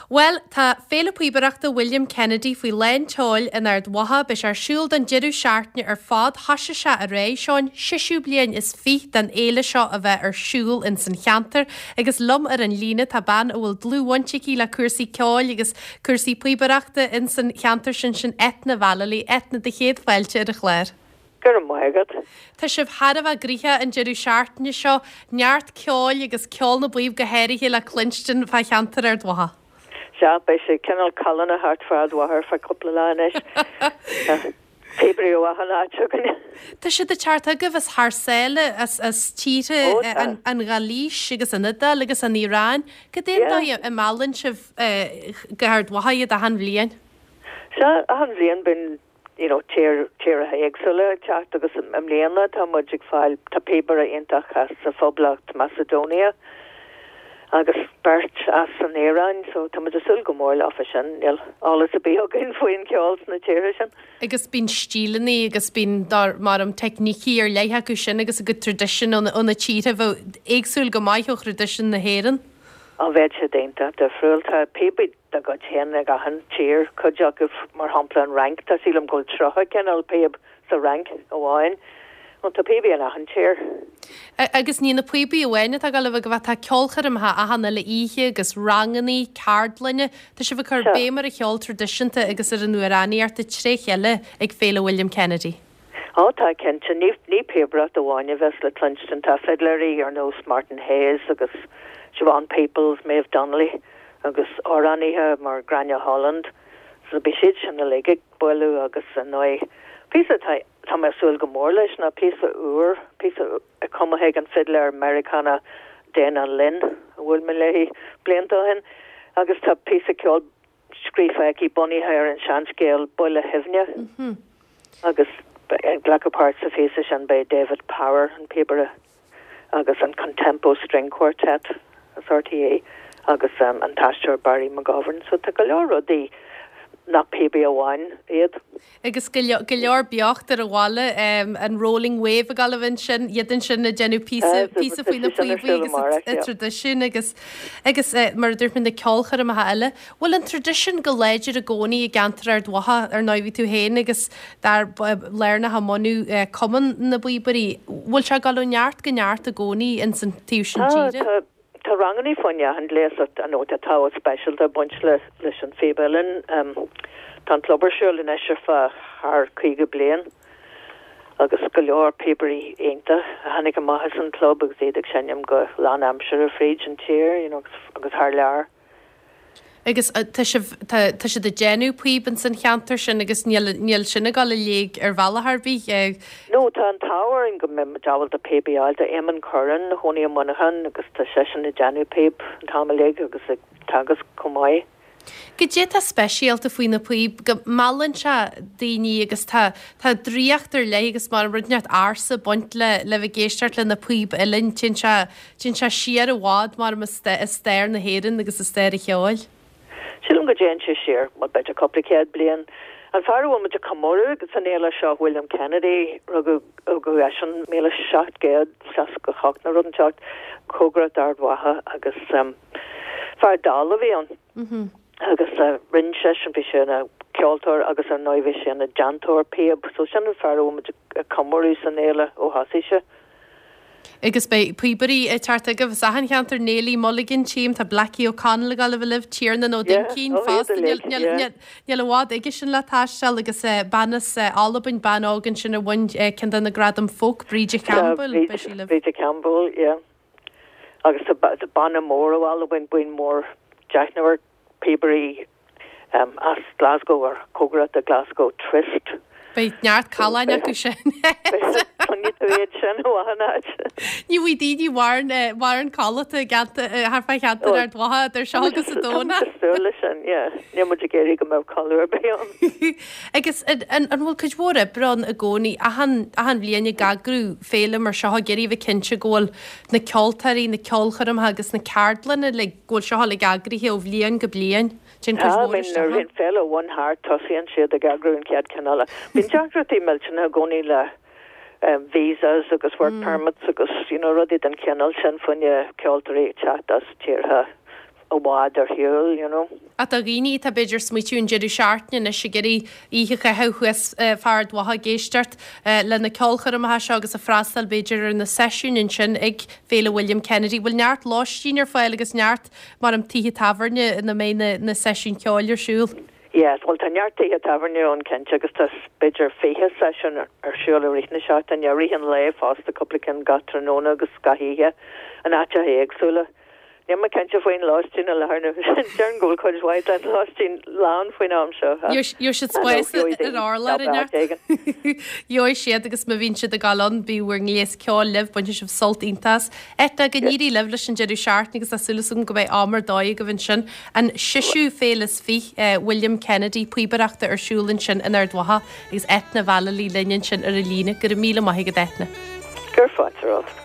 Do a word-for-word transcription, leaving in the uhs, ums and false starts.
Bhuel, tá Féile Píobaireachta William Kennedy faoi lán tseoil in Ard Mhacha, beidh sé ar siúl don deireadh seachtaine ar fad, thoisigh sé aréir, seo an seisiú bliain is fiche den fhéile seo a bheith ar siúl ins an cheantar agus liom ar an líne tá bean a bhfuil dlúthbhaint aici le cúrsaí ceoil agus cúrsaí píobaireachta ins an cheantar sin sin Eithne Vallely. Eithne, do chéad fáilte ar an chlár. Go raibh maith agat. Tá sibh thar a bheith gnoitheach an deireadh seachtaine seo, neart ceoil agus ceol na bpíob go háirithe le cluinstin fá cheantar Ard Mhacha. Sea, beidh sé cineál callánach thart fá Ard Mhacha ar feadh cúpla lá anois. Píobairí ó achan áit chugainn. Tá siad ag teacht chugaibh as thar sáile, as as tíortha Ó tá. an an Ghailís agus an Iodáil agus an Iaráin. Cad é an Yeah. dóigh a meallann sibh go hArd Mhacha iad achan bhliain? Sea, achan bhliain bíonn you know, tír tíortha éagsúla ag teacht agus i mbliana tá muid ag fáil tá píobaire iontach as sa Phoblacht Macedonia agus beirt as an Iaráin, so tá muid ag súil go mór leofa sin, níl eolas ar bith againn faoin cheol sna tíortha sin. Agus bíonn stíleanna agus bíonn dar mar um teicnící ar leith acu sin agus a gcuid traidisiún ó na ó na tíortha bheadh éagsúil go maith ó thraidisiún na hÉireann. Á bheadh siad iontach difriúil tá píobaí dá gcuid féin ag achan tír, cuid acu mar shampla an Fhrainc, tá sílim go bhfuil tríocha cineál píob sa Fhrainc amháin. Bhuel tá píobaí in achan tír. Agus ní na píobaí amháin atá ag dul a bheith tá ceolchoirmeacha achan uile oíche agus ranganna, ceardlanna, tá sibh ag cur Sea. béim ar an cheol traidisiúnta agus ar an amhránaíocht tré chéile ag Féile William Kennedy. Ó tá cinnte ní ní píobaireacht amháin a bheas le cluinstin tá fidléirí ar nós Martin Hayes agus Siobhan Peoples, Maeve Donnelly agus amhránaithe mar Gráinne Holland. So beidh siad sin uilig ag bualadh agus ar ndóigh píosa tá tá mé ag súil go mór leis ná píosa úr, píosa cumtha ag an fidléir Meiriceánach Dana Lynn a bhuail mé léi blianta ó shin agus tá píosa ceoil scríofa aici bunaithe ar an seanscéal Buile Shuibhne agus ag glacadh páirt sa phíosa sin beidh David Power an píobaire agus an Contempo String Quartet as RTÉ agus um, an t-aisteoir Barry McGovern, so tá go leor rudaí nach píobaí amháin iad. Agus go leo- go leor beocht ar an bhaile um, an Rolling Wave ag gabháil ansin iad ansin ag déanamh píosa Ah, píosa faoi na tá sé sin ar píobaí siúl agus amárach, a yeah. traidisiún agus agus eh, mar a dúirt mé na ceolchoirmeacha eile. Bhfuil an traidisiún go láidir i gcónaí i gceantar Ard Mhacha ar ndóigh bhí tú féin agus dar lárnach i mbunú eh, Cumann na bPíobairí. Bhfuil sé ag dul ó neart go neart i gcónaí ins an taobh sin Tá tíre? tá tá ranganna faoin achan ghléas an tá tábhacht speisialta ag baint le leis an phíb uilleann. Um, tá an club ar siúl anois ar feadh thar caoga bliain agus go leor píobairí iontacha a tháinig amach as an club agus iad ag seinm go lánaimseartha fríd an tír you know, agus, agus thar lear. Agus eh, tá sibh tá tá siad ag déanamh píob ins an cheantar sin agus níl níl sin ag dul i léig ar bhealach ar bith. eh, No tá an t-ádh orainn go mbeidh ábalta píobaí a fháil tá Eamon Curran chónaí i Muineachán agus tá seisean ag déanamh píob an t-am uilig agus ag teagasc chomh maith. Goidé tá speisialta faoi na píob go meallann sé daoine agus tá tá draíocht ar leith agus mar rud inteacht ársa baint le le bheith ag éisteacht le na píob uilleann téann sé téann sé siar i bhfad mar i stair na hÉireann agus i stair an cheoil. Sílim go dtéann sé siar mar b'fhéidir cúpla céad bliain. An fear a bhfuil muid ag comóradh agus an fhéile seo William Kennedy rugadh rugadh eisean míle seacht gcéad seasca hocht nó rud inteacht cóngarach d'Ard Mhacha agus um, fear dall a bhí ann. Mm agus uh, rinne seisean bhí sé ina ceoltóir agus ar ndóigh bhí sé ina déantóir píob, so sin an fear a bhfuil muid ag comóradh san fhéile ó thosaigh sé. Agus beidh píobairí ag teacht agaibh as achan cheantar Neilí Mulligan tím tá Blackie O'Connell ag gabháil a bheith libh Tiarnan Ó Yeah, Duincín ó, iad fosta uilig, yeah. Níl i bhfad aige sin le taisteal agus eh, bean as eh, Albain bean óg ansin a bhain eh, ceann de na gradaim folk Bríde Campbell beidh sí libh. Bríde Campbell, yeah. Agus tá ba- tá banna mór ó Albain buíon mór deichniúr píobairí um, as Glasgow ar cóngarach do Glasgow Twist. Beidh neart caláin acu sin. Cluinfidh tú iad sin ó achan áit. Ní bhí daoine mhain mhain codlata thart fá cheantar Ard Mhacha ar seo agus a dóna. Súil leis sin, yeah. Níl muid ag iarraidh go mbeadh codladh ar bith ann. Agus an an bhfuil cuid mhór oibre ann i gcónaí achan achan bhliain ag eagrú féile mar seo ag iarraidh bheith cinnte go bhfuil na ceoltóirí, na ceolchoirmeacha agus na ceardlanna le go bhfuil seo le eagraithe ó bhliain go bliain. Téann cuid Tá mhór mean isteach ann. an féile amháin thart tosaíonn siad ag eagrú an chéad cheann eile. Bíonn deacrachtaí millteanna i gcónaí le um, visas agus work mm. permits agus you know, rudaí den chineál sin faoi na ceoltóirí ag teacht as tíortha i bhfad ar shiúl, you know. Ach do dhaoine atá b'fhéidir ag smaoitiú an deireadh seachtaine anois ag iarraidh oíche a chaitheamh thuas fá Ard Mhacha ag éisteacht le na ceolchoirmeacha seo agus ag freastal b'fhéidir ar na seisiúin ansin ag Féile William Kennedy. Bhfuil neart lóistín ar fáil agus neart mar am tithe tábhairne ina mbeidh na seisiúin ceoil ar siúl? Yes, well tá neart tithe tábhairne ann cinnte agus tá b'fhéidir fiche seisiún ar siúl i rith na seachtaine, i rith an lae fosta cúpla ceann gach tráthnóna agus gach oíche in áiteacha éagsúla. Níl mé cinnte faoin lóistín i láthair na Déarfainn go bhfuil cuid mhaith den lóistín lán faoin am seo. Gheobhaidh siad spás ar urlár in Gheobhaidh siad agus má bhíonn siad ag gabháil ann bíodh bhur ngléas ceoil libh, bainfidh sibh sult iontach as. Eithne, go n-éirí libh leis an deireadh seachtaine agus tá súil agam go mbeidh am ar dóigh agaibh ansin. An seisiú Féile is Fiche William Kennedy píobaireachta ar siúl ansin in Ard Mhacha agus Eithne Vallely linn ansin ar an líne. Go raibh míle maith agat Eithne. Gur fáilte romhat.